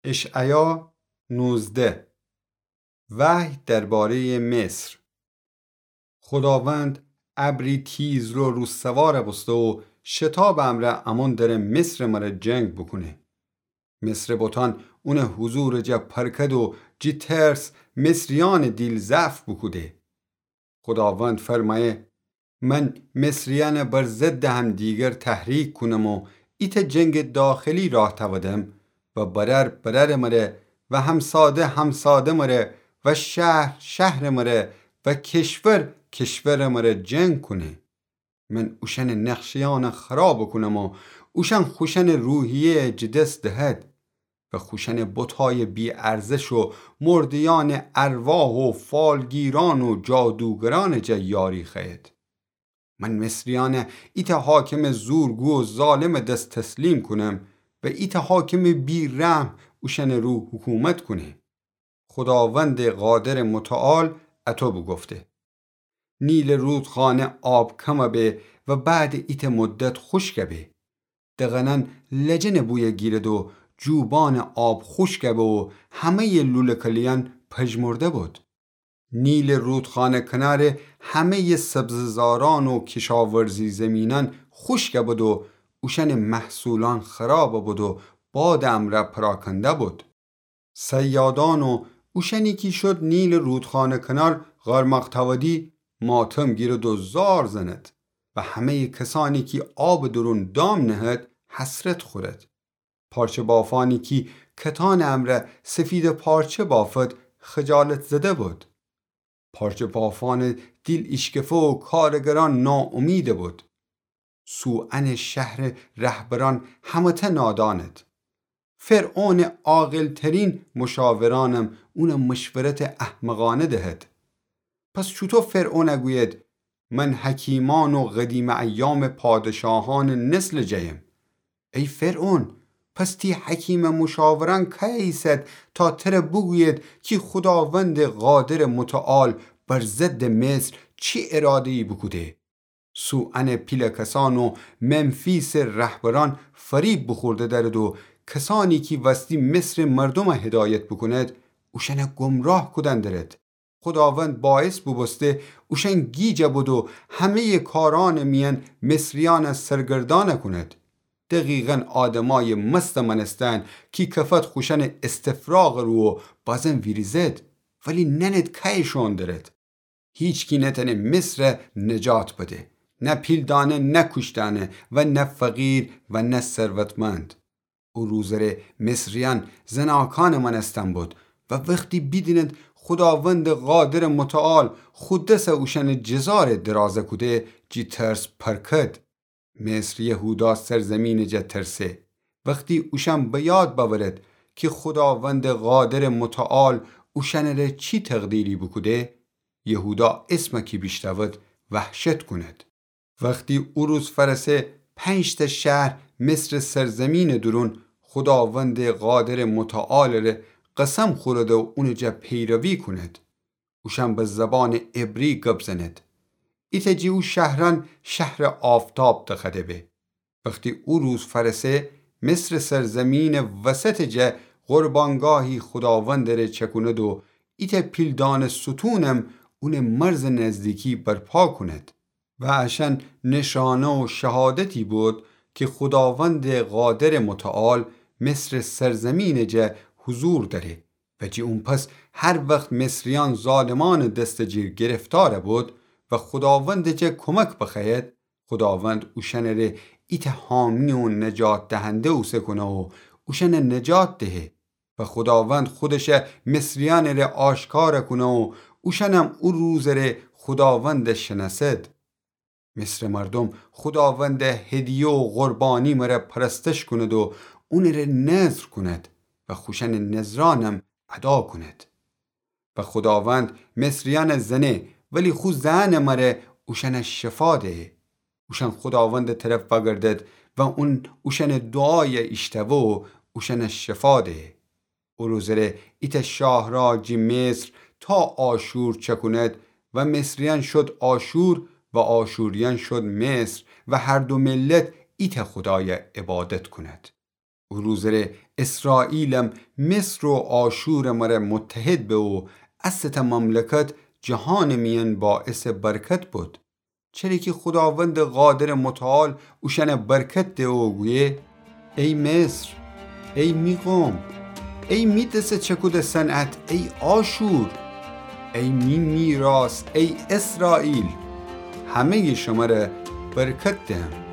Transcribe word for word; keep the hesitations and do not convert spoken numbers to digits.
اشعیا نوزده. وحی درباره‌یٚ مصر. خوداوند ابری تیزرو رو سوار بوسته و شتابٚ امرأ امون دره مصرٚ مره جنگ بوکونه. مصرٚ بتأن اونٚ حضورٚ جا پرکد و جی ترس مصریأنٚ دیل ضعف بوکوده. خوداوند فرمأیه: من مصریأن بر ضدٚ همدیگر تحریک کونم و ایتأ جنگٚ داخلی راه تأودم و برأر برأرٚ مره و همساده همسادهٚ مره و شهر شهرٚ مره و کشور کشورٚ مره جنگ کونه. من اوشأنٚ نقشه‌یأن خراب کونم و اوشأن خوشأنٚ روحیه‌یَ جٚه دس دهد و خوشأنٚ بتأیٚ بی‌ارزش و مرده‌یأنٚ ارواح و فالگیرأن و جادوگرأنٚ جا یاری خوأید. من مصریأن ایتأ حاکمٚ زورگو و ظالمٚ دس تسلیم کونم و ایتأ حاکمٚ بی‌رحم اوشأنٚ رو حکومت کونه. خوداوندٚ قادرٚ متعال اطو بوگفته: نیلٚ رودخانه آب کم به و بعدٚ ایتأ مدت خوشک به. دغنأن لجنٚ بویَ گیرد و جوبانٚ آب خوشک به و همه‌یٚ لوله‌کلیأن پژمرده بود. نیلٚ رودخانه کنارٚ همه‌یٚ سبزه‌زارأن و کشاورزی زیمینأن خوشک بود و اوشأنٚ محصولأن خراب بود و بادٚ امرأ پراکنده بود. صیادأن و اوشأنی کی شد نیلٚ رودخانه کنار قارماق تأودی ماتم گیرد و زار زند و همه‌یٚ کسأنی کی آبٚ دورون دام نهد حسرت خورد. پارچه بافأنی کی کتانٚ امرأ سفیدٚ پارچه بافد خجالت زده بود. پارچه بافأنٚ دیل ایشکفه و کارگرأن ناامیدٚ بود. سوئنٚ شهرٚ رهبرأن همه‌تأ نادانید. فرعونٚ عاقل‌ترین مشاورأنم اونٚ مشورتٚ احمقأنه دهد. پس چوطو فرعون گوید: من حکیمأن و قدیمٚ ایامٚ پادشاهأنٚ نسلٚ جأیم؟ ای فرعون، پس تی حکیمٚ مشاورأن کیه ایسد تا تره بوگوید کی خوداوندٚ قادرٚ متعال بر ضدٚ مصر چی اراده‌یی بوکوده؟ سوئنٚ پیله کسأن و ممفیسٚ رهبرأن فریب بوخورده دأرد و کسأنی کی وستی مصرٚ مردوم هدایت بوکوند، اوشأن گمراه کودن دأرد. خوداوند باعث بوبوسته اوشأن گیج بد و همه‌یٚ کارأنٚ میأن مصریأن سرگردأن کونید. دقیقاً آدمأیٚ مستٚ مأنستن کی کفد خوشأنٚ استفراغٚ رو و بازم ویریزد، ولی نأند کیه شوئون دأرد. هیچکی نتأنه مصر نجات بده، نه پیلدأنه، نه کوشتأنه و نه فقیر و نه ثروتمند. او روزٚ ره مصریأن زناکأنٚ مأنستن بود و وختی بیدینید خوداوندٚ قادرٚ متعال خو دس اوشأنٚ جزاره درازه کوده، جی ترس پرکد. مصر یهودا سرزمینٚ جا ترسه. وختی اوشأن به یاد بأورد کی خوداوندٚ قادرٚ متعال اوشأنٚ ره چی تقدیری بوکوده، یهودا اسمٚ کی بیشنود وحشت کونید. وختی او روز فأرسه، پنج‌تأ شهر مصرٚ سرزمینٚ دورون خوداوندٚ قادرٚ متعالٚ ره قسم خورد و اونٚ جا پیروی کونید. اوشأن به زبانٚ عبری گب زنید. ایتأ جٚه او شهرأن شهرٚ آفتاب دخوأده به. وختی او روز فأرسه، مصرٚ سرزمینٚ وسطٚ جا قربانگاهی خوداوندٚ ره چأکونید و ایتأ پیلدأنٚ ستونم اونٚ مرزٚ نزدیکی برپا کونید. و اشأن نشانه و شهادتی بود کی خوداوندٚ قادرٚ متعال مصرٚ سرزمینٚ جا حضور دأره و جٚه اون پس هر وخت مصریأن ظالمأنٚ دستٚ جیر گرفتار بود و خوداوندٚ جا کمک بخوأید، خوداوند اوشأنٚ ره ایتأ حامی و نجات دهنده اوسه کونه و اوشأن نجات دهه. و خوداوند خودش مصریأنٚ ره آشکار کونه و اوشأنم او روزٚ ره خوداوند شنأسد. مصرٚ مردوم خوداوند هدیه و قربانی مره پرستش کونید و اونٚ ره نذر کونید و خوشأنٚ نذرأنم ادا کونید. و خوداوند مصریأن زنه، ولی خو زأنٚ مره اوشأن شفا دهه. اوشأن خوداوندٚ طرف وأگردد و اون اوشأنٚ دوعای ایشتوه و اوشأن شفا دهه. او روزٚ ره ایتأ شاهراه جٚه مصر تا آشور چأکونید و مصریأن شد آشور و آشوریأن شد مصر و هر دو ملت ایتأ خودای عبادت کونید. او روزٚ ره اسرائیلم مصر و آشورٚ مره متحد به و اسه‌تأ مملکت جهانٚ میأن باعثٚ برکت بد. چره کی خوداوندٚ قادرٚ متعال اوشأنه برکت ده و گویه: ای مصر، ای می قوم، ای می دسه چکوده صنعت، ای آشور، ای می میراث، ای اسرائیل، همه‌یٚ شمره برکت دهم.